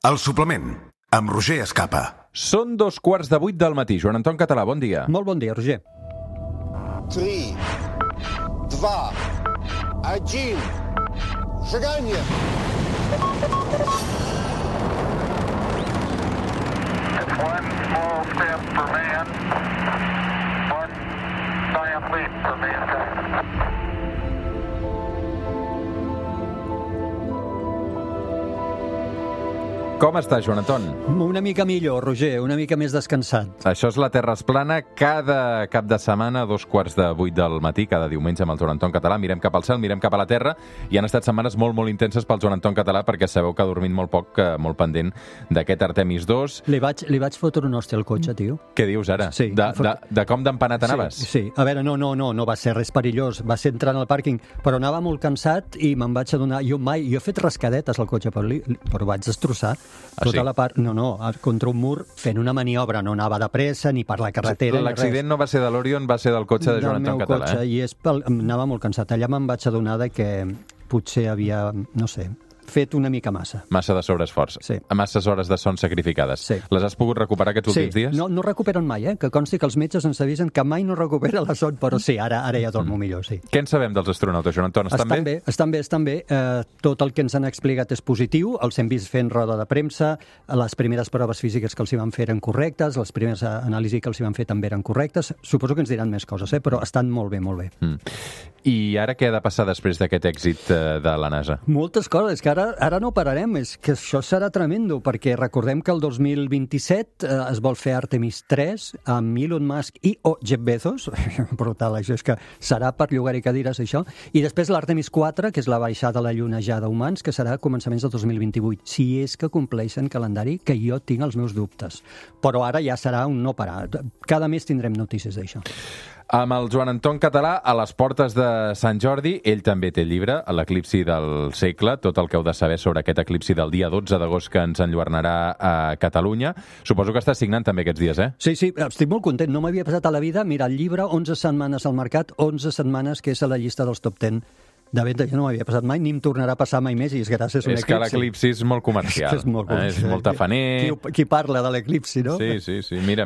El suplement, amb Roger Escapa. Són 7:15 del matí. Joan Anton Català, bon dia. Molt bon dia, Roger. 3, 2, 1, seganya! It's one small step for man, one giant leap for mankind. Com estàs, Joan Anton? Una mica millor, Roger, una mica més descansat. Això és La Terra es plana, cada cap de setmana, 7:15 del matí, cada diumenge amb el Joan Anton Català. Mirem cap al cel, mirem cap a la Terra, i han estat setmanes molt, molt intenses pel Joan Anton Català, perquè sabeu que ha dormit molt poc, molt pendent d'aquest Artemis 2. Li vaig fotre un hòstia al cotxe, tio. Què dius ara? Sí. De com d'empanat anaves? Sí. A veure, no va ser res perillós. Va ser entrant al pàrquing, però anava molt cansat i me'n vaig adonar. Jo he fet rascadetes al cotxe, però vaig destrossar tota la part... No, contra un mur fent una maniobra. No anava de pressa ni per la carretera. L'accident no va ser de l'Orion, va ser del cotxe de Joan Anton Català. Cotxe, i anava molt cansat. Allà me'n vaig adonar que potser havia, no sé, fet una mica massa. Massa de sobreesforç. Sí. Masses hores de son sacrificades. Sí. Les has pogut recuperar aquests últims dies? No recuperen mai, que consti que els metges ens avisen que mai no recupera la son, però sí, ara ja dormo millor, sí. Què en sabem dels astronautes, Joan Anton? Estan bé. Tot el que ens han explicat és positiu, els hem vist fent roda de premsa, les primeres proves físiques que els hi van fer eren correctes, les primeres anàlisis que els hi van fer també eren correctes. Suposo que ens diran més coses, però estan molt bé, molt bé. I ara què ha de passar després d'aquest èxit de la NASA? Moltes coses, que ara no pararem, és que això serà tremendo, perquè recordem que el 2027 es vol fer Artemis 3 amb Elon Musk i Jeff Bezos, brutal, això és que serà per llogar-hi cadires, això, i després l'Artemis 4, que és la baixada a la Lluna ja d'humans, que serà a començaments del 2028, si és que compleixen calendari, que jo tinc els meus dubtes. Però ara ja serà un no parar. Cada mes tindrem notícies d'això. Amb el Joan Anton Català a les portes de Sant Jordi, ell també té el llibre, l'eclipsi del segle, tot el que heu de saber sobre aquest eclipsi del dia 12 d'agost que ens enlluernarà a Catalunya. Suposo que estàs signant també aquests dies, eh? Sí, estic molt content. No m'havia passat a la vida mirar el llibre 11 setmanes al mercat, 11 setmanes que és a la llista dels top 10. De venda ja no m'havia passat mai, ni em tornarà a passar mai més, i és gràcies a un eclipsi. És que l'eclipsi és molt comercial. És molt comercial. És molt tafaner. Qui parla de l'eclipsi, no? Sí. Mira,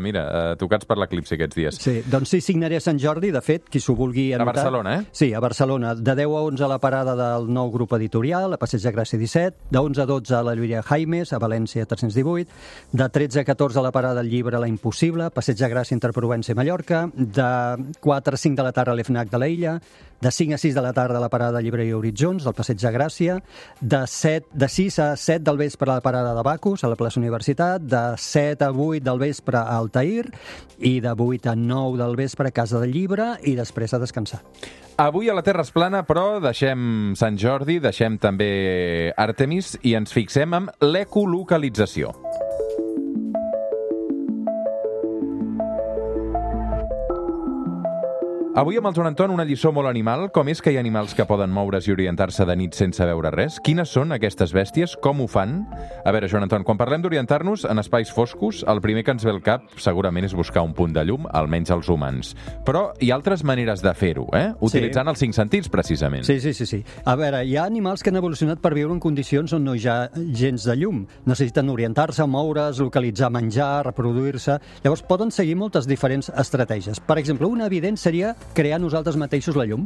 tocats per l'eclipsi aquests dies. Sí, doncs sí, signaré a Sant Jordi, de fet, qui s'ho vulgui anotar. A Barcelona, eh? Sí, a Barcelona. De 10 a 11 a la parada del nou grup editorial, a Passeig de Gràcia 17, de 11 a 12 a la Llúria Jaimes, a València 318, de 13 a 14 a la parada del llibre La Impossible, Passeig de Gràcia entre Provença i Mallorca, de 4 a 5 de la tarda a l'EFNAC de l'Illa, de 5 a 6 de la tarda a la parada de Llibreria Horitzons, del Passeig de Gràcia, de 6 a 7 del vespre a la parada de Bacus, a la plaça Universitat, de 7 a 8 del vespre a Altair, i de 8 a 9 del vespre a Casa del Llibre, i després a descansar. Avui a la Terra es plana, però deixem Sant Jordi, deixem també Artemis i ens fixem en l'ecolocalització. Avui amb el Joan Anton una lliçó molt animal. Com és que hi ha animals que poden moure's i orientar-se de nit sense veure res? Quines són aquestes bèsties? Com ho fan? A veure, Joan Anton, quan parlem d'orientar-nos en espais foscos, el primer que ens ve al cap segurament és buscar un punt de llum, almenys els humans. Però hi ha altres maneres de fer-ho, utilitzant els 5 sentits, precisament. Sí. A veure, hi ha animals que han evolucionat per viure en condicions on no hi ha gens de llum. Necessiten orientar-se, moure's, localitzar menjar, reproduir-se. Llavors poden seguir moltes diferents estratègies. Per exemple, una evident seria crear nosaltres mateixos la llum.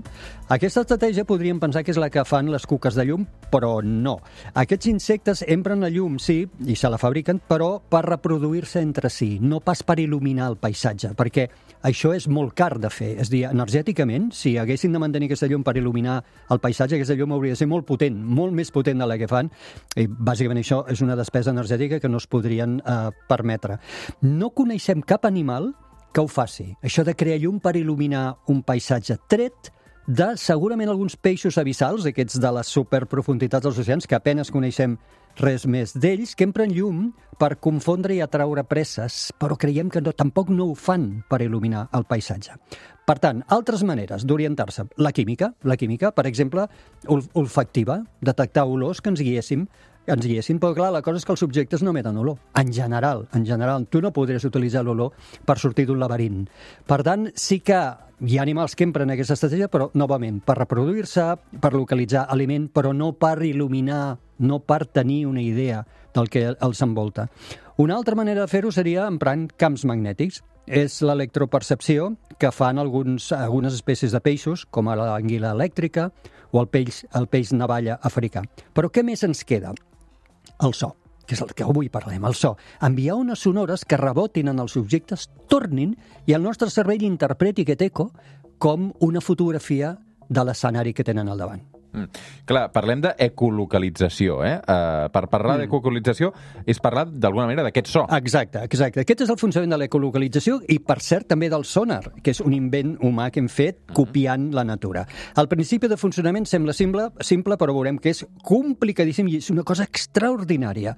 Aquesta estratègia podríem pensar que és la que fan les cuques de llum, però no. Aquests insectes empren la llum, sí, i se la fabriquen, però per reproduir-se entre si, no pas per il·luminar el paisatge, perquè això és molt car de fer. És a dir, energèticament, si haguessin de mantenir aquesta llum per il·luminar el paisatge, aquesta llum hauria de ser molt potent, molt més potent de la que fan, i bàsicament això és una despesa energètica que no es podrien permetre. No coneixem cap animal que ho faci. Això de crear llum per il·luminar un paisatge, tret de segurament alguns peixos abissals, aquests de les superprofunditats dels oceans, que apenes coneixem res més d'ells, que empren llum per confondre i atraure presses, però creiem que tampoc no ho fan per il·luminar el paisatge. Per tant, altres maneres d'orientar-se. La química, per exemple, olfactiva, detectar olors que ens guiessin, però clar, la cosa és que els subjectes no emeten olor. En general, tu no podries utilitzar l'olor per sortir d'un laberint. Per tant, sí que hi ha animals que empren aquesta estratègia, però, novament, per reproduir-se, per localitzar aliment, però no per il·luminar no per tenir una idea del que els envolta. Una altra manera de fer-ho seria emprant camps magnètics. És l'electropercepció que fan algunes espècies de peixos, com l'anguila elèctrica o el peix navalla africà. Però què més ens queda? El so, que és el que avui parlem, el so. Enviar ones sonores que rebotin en els objectes, tornin, i el nostre cervell interpreti aquest eco com una fotografia de l'escenari que tenen al davant. Clar, parlem d'ecolocalització, Per parlar d'ecolocalització és parlar d'alguna manera d'aquest so. Exacte. Aquest és el funcionament de l'ecolocalització i, per cert, també del sonar, que és un invent humà que hem fet copiant la natura. El principi de funcionament sembla simple, però veurem que és complicadíssim i és una cosa extraordinària.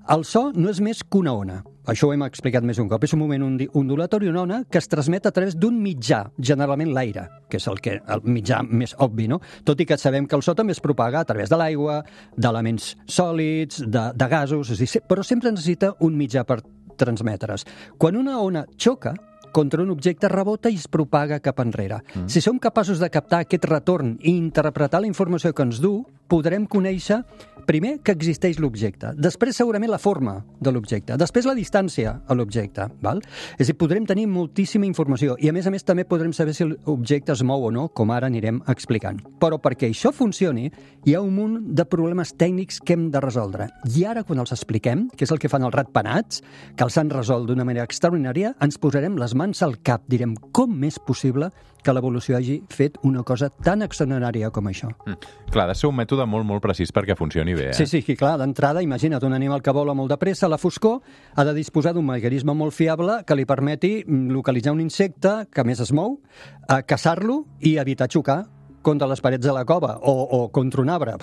El so no és més que una ona. Això ho hem explicat més un cop. És un moment ondulatori, una ona, que es transmet a través d'un mitjà, generalment l'aire, que és el mitjà més obvi, no? Tot i que sabem que el so també es propaga a través de l'aigua, d'elements sòlids, de gasos, però sempre necessita un mitjà per transmetre's. Quan una ona xoca contra un objecte, rebota i es propaga cap enrere. Si som capaços de captar aquest retorn i interpretar la informació que ens du, podrem conèixer, primer, que existeix l'objecte, després segurament la forma de l'objecte, després la distància a l'objecte, val? És a dir, podrem tenir moltíssima informació i, a més també podrem saber si l'objecte es mou o no, com ara anirem explicant. Però perquè això funcioni, hi ha un munt de problemes tècnics que hem de resoldre. I ara, quan els expliquem, que és el que fan els ratpenats, que els han resolt d'una manera extraordinària, ens posarem les mans al cap, direm, com és possible que l'evolució hagi fet una cosa tan extraordinària com això. Clar, ha de ser un mètode molt, molt precís perquè funcioni bé, Sí, clar, d'entrada, imagina't, un animal que vola molt de pressa a la foscor ha de disposar d'un mecanisme molt fiable que li permeti localitzar un insecte que més es mou, caçar-lo i evitar xocar contra les parets de la cova o contra un arbre.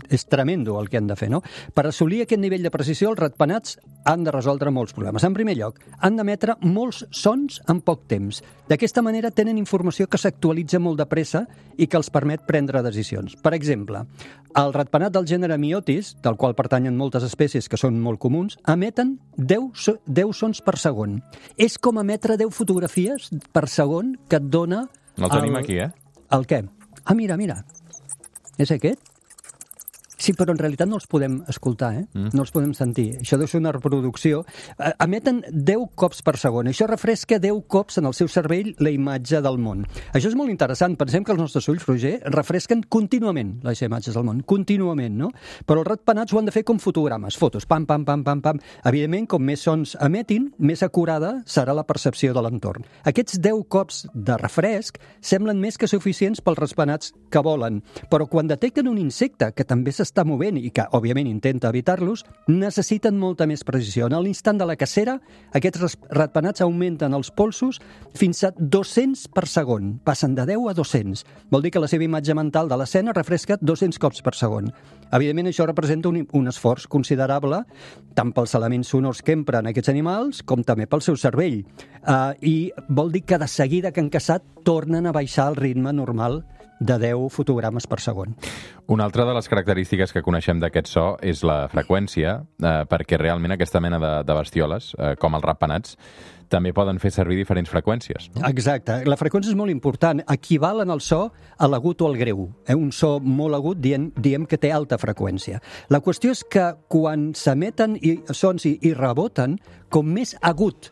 És tremendo el que han de fer, no? Per assolir aquest nivell de precisió, els ratpenats han de resoldre molts problemes. En primer lloc, han d'emetre molts sons en poc temps. D'aquesta manera tenen informació que s'actualitza molt de pressa i que els permet prendre decisions. Per exemple, el ratpenat del gènere Myotis, del qual pertanyen moltes espècies que són molt comuns, emeten 10 sons per segon. És com emetre 10 fotografies per segon que et dona... El tenim aquí, El què? Ah, mira. És aquest? Sí, però en realitat no els podem escoltar, No els podem sentir. Això deu ser una reproducció. Emeten 10 cops per segon. Això refresca 10 cops en el seu cervell la imatge del món. Això és molt interessant. Pensem que els nostres ulls, Roger, refresquen contínuament les imatges del món. Contínuament, no? Però els ratpenats ho han de fer com fotogrames. Fotos, pam, pam, pam, pam, pam. Evidentment, com més sons emetin, més acurada serà la percepció de l'entorn. Aquests 10 cops de refresc semblen més que suficients pels ratpenats que volen. Però quan detecten un insecte que també s'està movent i que, òbviament, intenta evitar-los, necessiten molta més precisió. En l'instant de la cacera, aquests ratpenats augmenten els polsos fins a 200 per segon. Passen de 10 a 200. Vol dir que la seva imatge mental de l'escena refresca 200 cops per segon. Evidentment, això representa un esforç considerable tant pels elements sonors que empren aquests animals com també pel seu cervell. I vol dir que de seguida que han caçat tornen a baixar el ritme normal de 10 fotogrames per segon. Una altra de les característiques que coneixem d'aquest so és la freqüència, perquè realment aquesta mena de bestioles, com els ratpenats, també poden fer servir diferents freqüències. No? Exacte. La freqüència és molt important. Equivalen el so a l'agut o al greu. Un so molt agut diem que té alta freqüència. La qüestió és que quan s'emeten sons i reboten, com més agut,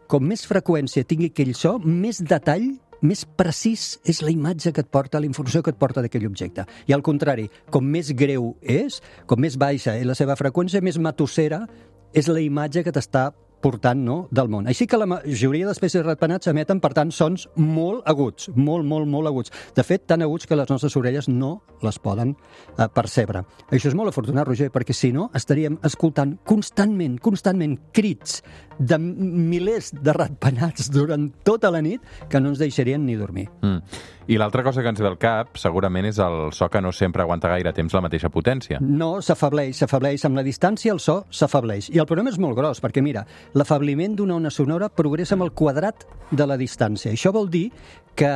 com més freqüència tingui aquell so, més detall, més precís és la imatge que et porta, la informació que et porta d'aquell objecte. I al contrari, com més greu és, com més baixa és la seva freqüència, més matossera és la imatge que t'està portant, no, del món. Així que la majoria d'espècies de ratpenats emeten, per tant, sons molt aguts, molt aguts. De fet, tan aguts que les nostres orelles no les poden percebre. Això és molt afortunat, Roger, perquè si no estaríem escoltant constantment crits de milers de ratpenats durant tota la nit que no ens deixarien ni dormir. I l'altra cosa que ens ve al cap, segurament, és el so que no sempre aguanta gaire temps la mateixa potència. No, s'afableix. Amb la distància el so s'afableix. I el problema és molt gros, perquè mira, l'afabliment d'una ona sonora progressa amb el quadrat de la distància. Això vol dir que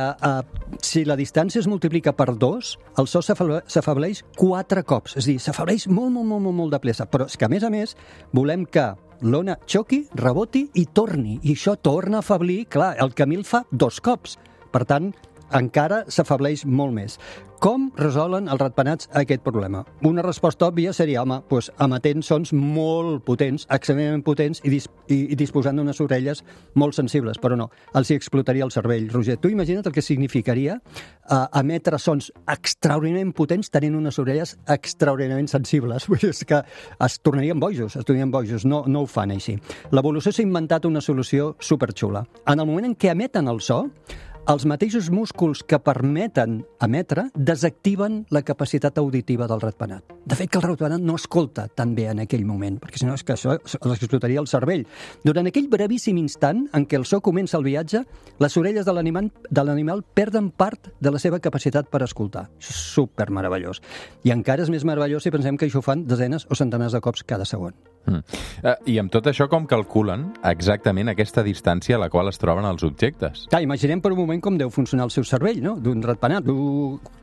si la distància es multiplica per 2, el so s'afableix 4 cops. És a dir, s'afableix molt de pressa. Però és que, a més, volem que l'ona xoqui, reboti i torni. I això torna a afablir, clar, el camí el fa 2 cops. Per tant, encara s'afableix molt més. Com resolen els ratpenats aquest problema? Una resposta òbvia seria, home, emetent sons molt potents, extremadament potents i disposant d'unes orelles molt sensibles, però no, els hi explotaria el cervell. Roger, tu imagina't el que significaria emetre sons extraordinàriament potents tenint unes orelles extraordinàriament sensibles. Vull dir, és que es tornarien bojos, no ho fan així. L'evolució s'ha inventat una solució superxula. En el moment en què emeten el so, els mateixos músculs que permeten emetre desactiven la capacitat auditiva del ratpenat. De fet, que el ratpenat no escolta tan bé en aquell moment, perquè si no és que això l'explotaria el cervell. Durant aquell brevíssim instant en què el so comença el viatge, les orelles de l'animal perden part de la seva capacitat per escoltar. Això és supermeravellós. I encara és més meravellós si pensem que això ho fan desenes o centenars de cops cada segon. I amb tot això, com calculen exactament aquesta distància a la qual es troben els objectes? Clar, imaginem per un moment com deu funcionar el seu cervell, no?, d'un ratpenat,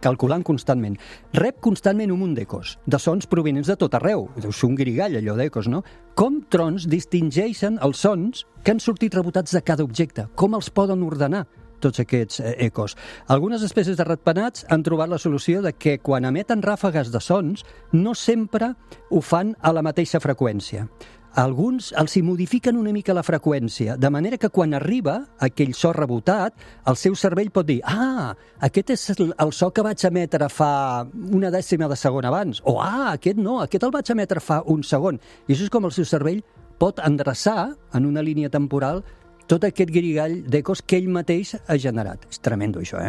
calculant constantment. Rep constantment un munt d'ecos, de sons provinents de tot arreu. Deu ser un guirigall, allò d'ecos, no? Com trons distingeixen els sons que han sortit rebotats de cada objecte? Com els poden ordenar tots aquests ecos? Algunes espècies de ratpenats han trobat la solució de que quan emeten ràfegues de sons no sempre ho fan a la mateixa freqüència. Alguns els hi modifiquen una mica la freqüència, de manera que quan arriba aquell so rebotat, el seu cervell pot dir aquest és el so que vaig emetre fa una dècima de segon abans, o aquest no, aquest el vaig emetre fa un segon. I això és com el seu cervell pot endreçar en una línia temporal tot aquest guirigall d'ecos que ell mateix ha generat. És tremendo, això,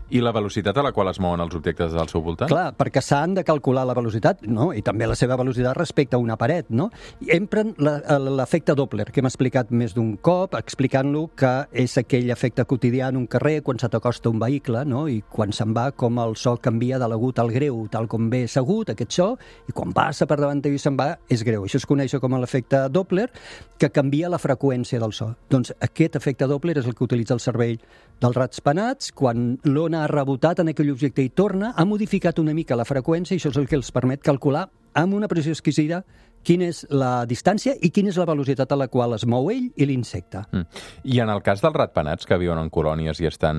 I la velocitat a la qual es mouen els objectes al seu voltant? Clar, perquè s'han de calcular la velocitat, no?, i també la seva velocitat respecte a una paret, no? I empren l'efecte Doppler, que hem explicat més d'un cop, explicant-lo que és aquell efecte quotidià en un carrer quan se t'acosta un vehicle, no?, i quan se'n va, com el so canvia de l'agut al greu, tal com ve segut, aquest so, i quan passa per davant teu i se'n va, és greu. Això es coneix com l'efecte Doppler, que canvia la freqüència del so. Doncs aquest efecte Doppler és el que utilitza el cervell dels ratpenats. Quan l'ona ha rebotat en aquell objecte i torna, ha modificat una mica la freqüència i això és el que els permet calcular amb una precisió exquisida quina és la distància i quina és la velocitat a la qual es mou ell i l'insecte. I en el cas dels ratpenats que viuen en colònies i estan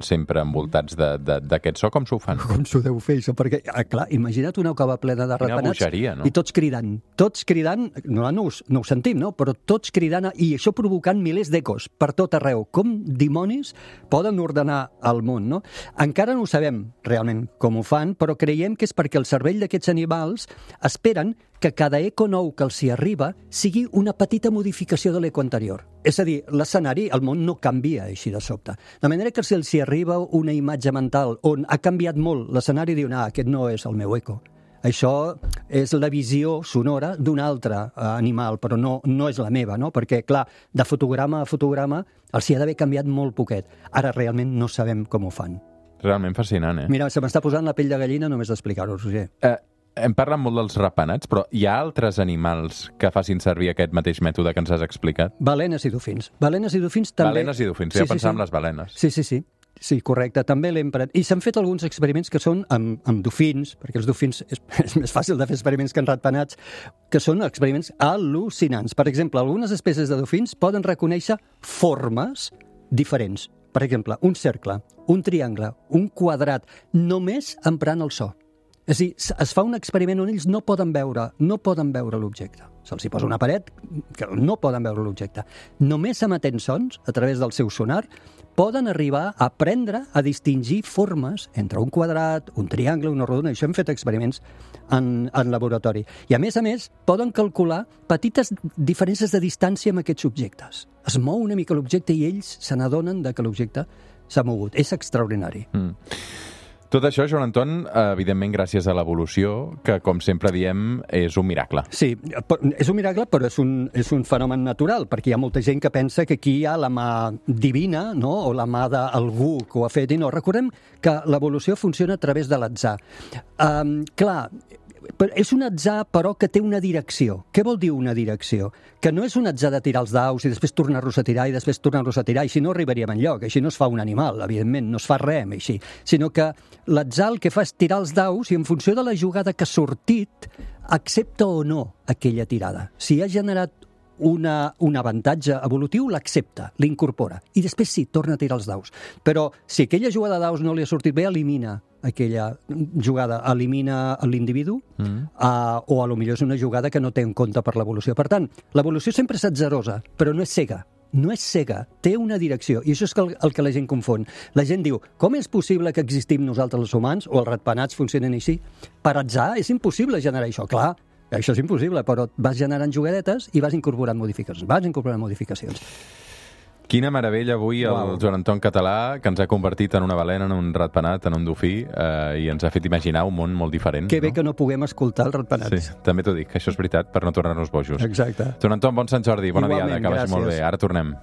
sempre envoltats d'aquest so, com s'ho fan? Com s'ho deu fer, això? Perquè, clar, imagina't una cova plena de ratpenats bogeria, no? I tots cridant, no ho sentim, no? Però tots cridant, i això provocant milers d'ecos per tot arreu. Com dimonis poden ordenar el món, no? Encara no ho sabem realment com ho fan, però creiem que és perquè el cervell d'aquests animals esperen que cada eco nou que els hi arriba sigui una petita modificació de l'eco anterior. És a dir, l'escenari, el món no canvia així de sobte. De manera que si els hi arriba una imatge mental on ha canviat molt l'escenari, diuen, aquest no és el meu eco. Això és la visió sonora d'un altre animal, però no és la meva, no? Perquè, clar, de fotograma a fotograma els hi ha d'haver canviat molt poquet. Ara realment no sabem com ho fan. Realment fascinant, Mira, se m'està posant la pell de gallina només d'explicar-ho, Roger. Hem parlat molt dels ratpenats, però hi ha altres animals que facin servir aquest mateix mètode que ens has explicat? Balenes i dofins. Balenes i dofins també... Balenes i dofins, ja pensàvem en les balenes. Sí, correcte, també l'empren. I s'han fet alguns experiments que són amb dofins, perquè els dofins és més fàcil de fer experiments que en ratpenats, que són experiments al·lucinants. Per exemple, algunes espècies de dofins poden reconèixer formes diferents. Per exemple, un cercle, un triangle, un quadrat, només emprant el so. És a dir, es fa un experiment on ells no poden veure l'objecte. Se'ls hi posa una paret que no poden veure l'objecte. Només emetent sons, a través del seu sonar, poden arribar a aprendre a distingir formes entre un quadrat, un triangle, una rodona. Això hem fet experiments en laboratori. I a més, poden calcular petites diferències de distància amb aquests objectes. Es mou una mica l'objecte i ells se n'adonen que l'objecte s'ha mogut. És extraordinari. Tot això, Joan Anton, evidentment gràcies a l'evolució, que, com sempre diem, és un miracle. Sí, és un miracle, però és un fenomen natural, perquè hi ha molta gent que pensa que aquí hi ha la mà divina, no?, o la mà d'algú que ho ha fet, i no. Recordem que l'evolució funciona a través de l'atzar. Clar, és un atzar, però, que té una direcció. Què vol dir una direcció? Que no és un atzar de tirar els daus i després tornar-los a tirar i després tornar-los a tirar, i així no arribaríem enlloc. Així no es fa un animal, evidentment, no es fa res així. Sinó que l'atzar el que fa és tirar els daus i en funció de la jugada que ha sortit, accepta o no aquella tirada. Si ha generat un avantatge evolutiu, l'accepta, l'incorpora. I després sí, torna a tirar els daus. Però si aquella jugada de daus no li ha sortit bé, elimina aquella jugada, elimina l'individu, o a lo millor és una jugada que no té en compte per l'evolució. Per tant, l'evolució sempre és atzerosa, però no és cega. No és cega, té una direcció, i això és el que la gent confon. La gent diu, com és possible que existim nosaltres els humans, o els ratpenats funcionen així? Per atzar és impossible generar això, clar, això és impossible, però vas generant jugadetes i vas incorporant modificacions. Quina meravella avui el Joan Anton Català, que ens ha convertit en una balena, en un ratpenat, en un dofí, i ens ha fet imaginar un món molt diferent. Que bé que no puguem escoltar els ratpenats. Sí, també t'ho dic, això és veritat, per no tornar-nos bojos. Exacte. Joan Anton, bon Sant Jordi, bona diada, que vagi molt bé. Gràcies. Ara tornem.